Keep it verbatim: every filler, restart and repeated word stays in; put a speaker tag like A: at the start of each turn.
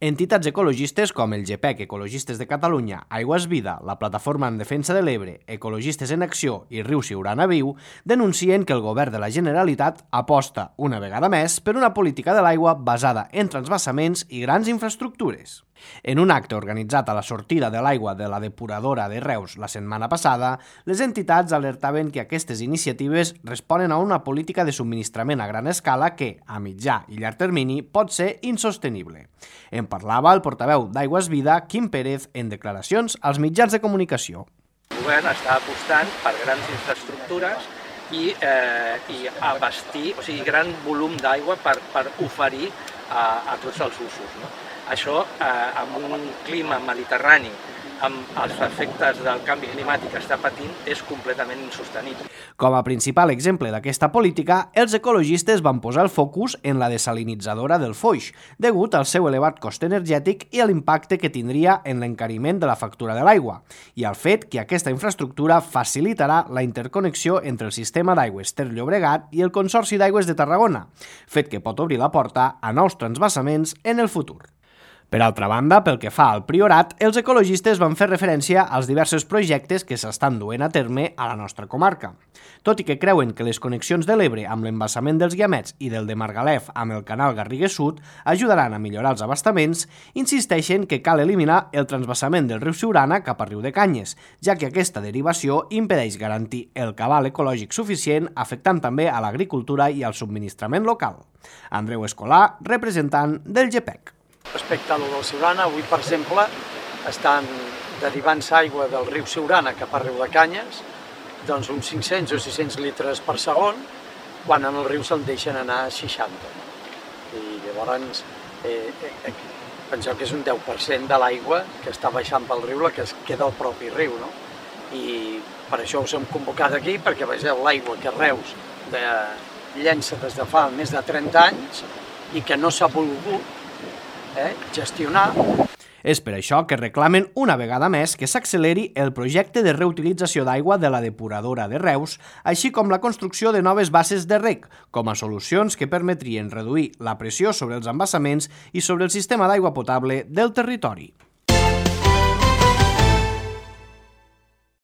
A: Entitats ecologistes com el GEPEC, Ecologistes de Catalunya, Aigües Vida, la Plataforma en Defensa de l'Ebre, Ecologistes en Acció i Riu Siurana Viu denuncien que el govern de la Generalitat aposta, una vegada més, per una política de l'aigua basada en transvasaments i grans infraestructures. En un acte organitzat a la sortida de l'aigua de la depuradora de Reus la setmana passada, les entitats alertaven que aquestes iniciatives responen a una política de subministrament a gran escala que, a mitjà i llarg termini, pot ser insostenible. En parlava el portaveu d'Aigües Vida, Quim Pérez, en declaracions als mitjans de comunicació.
B: El govern està apostant per grans infraestructures i, eh, i abastir, o sigui, gran volum d'aigua per, per oferir a, a tots els usos, no? Això, eh, amb un clima mediterrani, amb els efectes del canvi climàtic que està patint, és completament insostenible.
A: Com a principal exemple d'aquesta política, els ecologistes van posar el focus en la desalinitzadora del Foix, degut al seu elevat cost energètic i a l'impacte que tindria en l'encariment de la factura de l'aigua, i al fet que aquesta infraestructura facilitarà la interconnexió entre el sistema d'aigües Ter Llobregat i el Consorci d'Aigües de Tarragona, fet que pot obrir la porta a nous transvasaments en el futur. Per altra banda, pel que fa al Priorat, els ecologistes van fer referència als diversos projectes que s'estan duent a terme a la nostra comarca. Tot i que creuen que les connexions de l'Ebre amb l'embassament dels Guiamets i del de Margalef amb el canal Garrigues Sud ajudaran a millorar els abastaments, insisteixen que cal eliminar el transvassament del riu Siurana cap a Riu de Canyes, ja que aquesta derivació impedeix garantir el cabal ecològic suficient, afectant també a l'agricultura i al subministrament local. Andreu Escolà, representant del GEPEC.
C: Respecte a lo del Siurana, avui, per exemple, estan derivant-se aigua del riu Siurana cap a Riu de Canyes, doncs uns cinc-cents o sis-cents litres per segon, quan en el riu se'n deixen anar seixanta. I llavors, eh, eh, penseu que és un deu per cent de l'aigua que està baixant pel riu, la que es queda al propi riu, no? I per això us hem convocat aquí, perquè vegeu l'aigua que Reus de, llença des de fa més de trenta anys i que no s'ha volgut Eh, gestionar.
A: És per això que reclamen una vegada més que s'acceleri el projecte de reutilització d'aigua de la depuradora de Reus, així com la construcció de noves basses de reg, com a solucions que permetrien reduir la pressió sobre els embassaments i sobre el sistema d'aigua potable del territori.